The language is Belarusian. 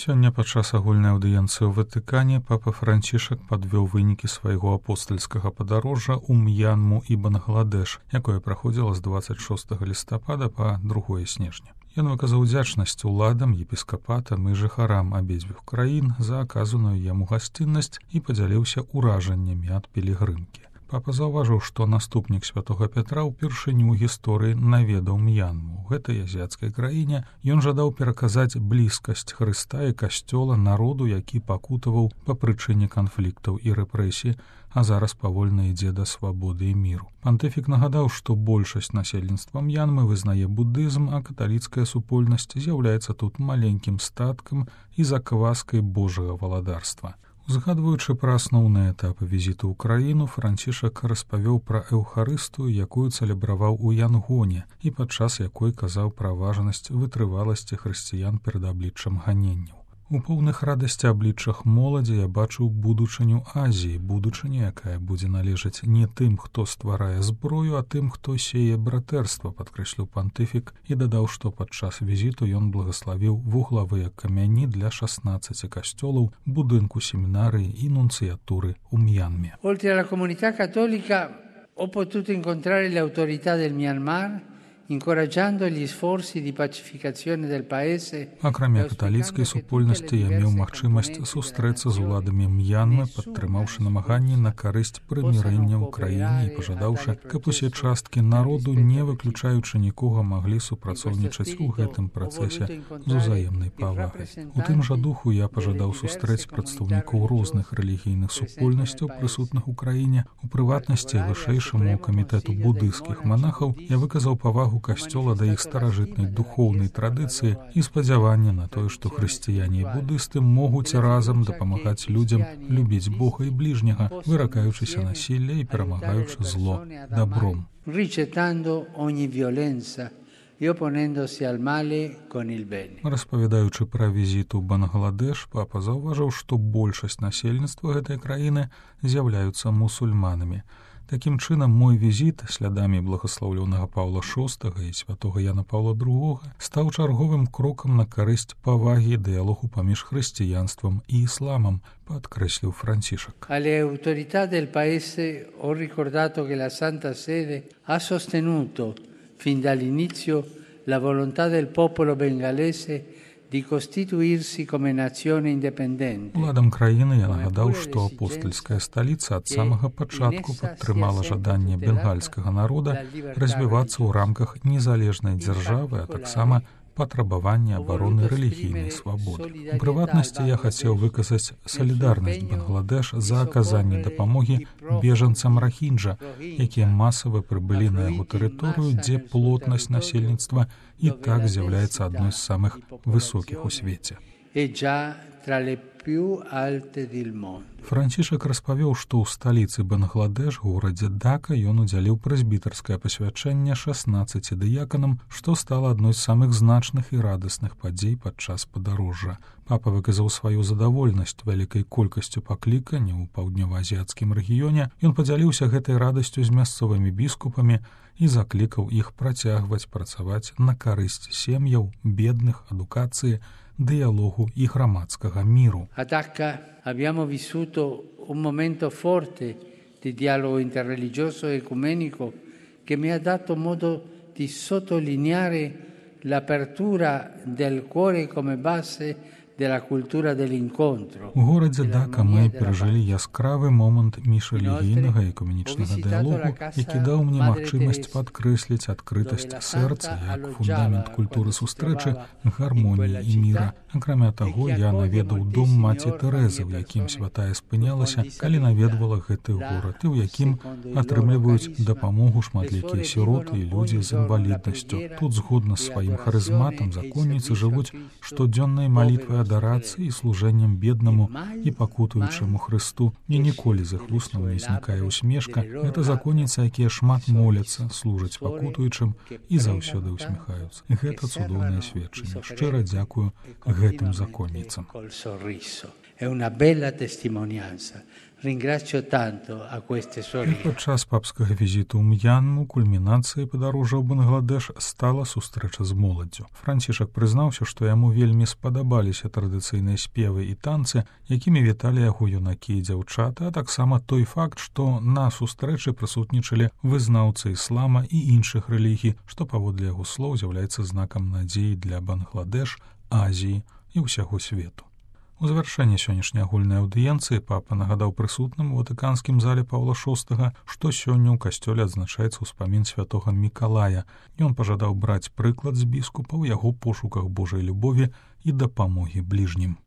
Сёння падчас агульнай аўдыенцыі ў Ватыкане папа Францішак падвёў вынікі свайго апостальскага падарожжа ў М'янму і Бангладэш, якое праходзіла з 26 лістапада па 2 снежня. Ён выказаў удзячнасць уладам, епіскапатам і жыхарам абедзвюх краін за аказаную яму гасціннасць і падзяліўся ўражаннямі ад пілігрымкі. Папа заўважыў, што наступнік святога Пятра ўпершыню ў гісторыі наведаў М'янму. У гэтай азіяцкай краіне ён жадаў пераказаць блізкасць Хрыста і касцёла народу, які пакутаваў па прычыне канфліктаў і рэпрэсій, а зараз павольна ідзе да свабоды і міру. Пантыфік нагадаў, што большасць насельніцтва М'янмы вызнае будызм, а каталіцкая супольнасць з'яўляецца тут маленькім статкам і закваскай Божага валадарства. Узгадваючы пра асноўныя этапы візіту ў краіну, Францішак распавёў пра эўхарыстыю, якую цэлебраваў у Янгоне і падчас якой казаў пра важнасць вытрываласці хрысціян перад абліччам ганенняў. У поўных радасці абліччах моладзі я бачыў будучыню Азіі, будучыню, якая будзе належаць не тым, хто стварае зброю, а тым, хто сее братэрства, падкрэсліў пантыфік і дадаў, што падчас візіту ён благаславіў вуглавыя камяні для 16 касцёлаў, будынку семінарыі і нунцыятуры ў М'янме. Oltre alla comunità cattolica ho potuto incontrare le autorità del Myanmar, incoraggiando gli sforzi di pacificazione del paese. Акрамя каталіцкай супольнасці я меў магчымасць сустрэцца з уладамі М'янмы, падтрымаўшы намаганні на карысць прымірэння ў краіне і пажадаўшы, каб усе часткі народу, не выключаючы нікога, маглі супрацоўнічаць у гэтым працэсе з узаемнай павагай. У тым жа духу я пажадаў сустрэць прадстаўнікоў розных рэлігійных супольнасцяў, прысутных у краіне. У прыватнасці вышэйшаму камітэту будыйскіх манахаў я выказаў павагу касцёла да іх старажытнай духоўнай традыцыі і спадзяванне на тое, што хрысціяне і будысты могуць разам дапамагаць людзям любіць Бога і бліжняга, выракаючыся насілля і перамагаючы зло добром. Распавядаючы пра візіт у Бангладэш, папа заўважыў, што большасць насельніцтва гэтай краіны з'яўляюцца мусульманамі. Такім чынам, мой візіт слядамі благаслаўлёнага Паўла VI і святога Яна Паўла II стаў чарговым крокам на карысць павагі і дыялогу паміж хрысціянствам і ісламам, падкрэсліў Францішак. Alle autorità del paese ho ricordato che la Santa Sede ha sostenuto fin dall'inizio la volontà del popolo bengalese di costituirsi come nazione indipendente. Уладам краіны я нагадаў, што апостальская сталіца ад самага пачатку падтрымала жаданне бенгальскага народа развівацца ў рамках незалежнай дзяржавы, а таксама патрабаванне абароны рэлігійнай свабоды. У прыватнасці я хацеў выказаць салідарнасць Бангладэш за аказанне дапамогі бежанцам Рахінджа, якія масава прыбылі на яго тэрыторыю, дзе плотнасць насельніцтва і так з'яўляецца адной з самых высокіх у свеце. Францішак распавёў, што ў сталіцы Бангладэш, горадзе Дака, ён удзяліў прэзбітарскае пасвячэнне 16 дыяканам, што стала адной з самых значных і радасных падзей падчас падарожжа. Папа выказаў сваю задавольнасць вялікай колькасцю пакліканняў у паўднёва-азіяцкім рэгіёне. Ён падзяліўся гэтай радасцю з мясцовымі біскупамі і заклікаў іх працягваць працаваць на карысць сем'яў, бедных, адукацыі, dialogu i grammatskega miru. A Dhaka abbiamo vissuto un momento forte di dialogo interreligioso e ecumenico che mi ha dato modo di sottolineare l'apertura del cuore come base della cultura dell'incontro. У горадзе Дака мы перажылі яскравы момант міжрэлігійнага і экуменічнага дыялогу, які даў мне магчымасць падкрэсліць адкрытасць сэрца як фундамент культуры сустрэчы, гармоніі і міра. Акрамя таго, я наведаў дом маці Тэрэзы, у якім святая спынялася, калі наведвала гэты горад, і ў якім атрымліваюць дапамогу шматлікія сіроты і людзі з інваліднасцю. Тут згодна з сваім харызматам законніцы жывуць штодзённай малітвай адарацыі і служэннем беднаму і пакутуючаму Хрысту. І ніколі з іх вуснаў не знікае усмешка. Гэта законніцы, якія шмат моляцца, служаць пакутуючым і заўсёды усміхаюцца. Гэта цудоўнае сведчанне. Шчыра дзякую гэтым законніцам. È una bella testimonianza. ringrazio tanto a queste sorelle. Падчас папскага візіту ў М'янму кульмінацыяй падарожжа ў Бангладеш стала сустрэча з моладдзю. Францішак прызнаўся, што яму вельмі спадабаліся традыцыйныя спевы і танцы, якімі віталі яго юнакі і дзяўчаты, а таксама той факт, што на сустрэчы прысутнічалі вызнаўцы іслама і іншых рэлігій, што паводле яго слоў з'яўляецца знакам надзеі для Бангладеш, Азіі і ўсяго свету. У завяршэнні сённяшняй агульнай аўдыенцыі папа нагадаў прысутным у ватыканскім зале Паўла VI, што сёння ў касцёле адзначаецца ўспамін святога Мікалая. Ён пажадаў браць прыклад з біскупа ў яго пошуках Божай любові і дапамогі бліжнім.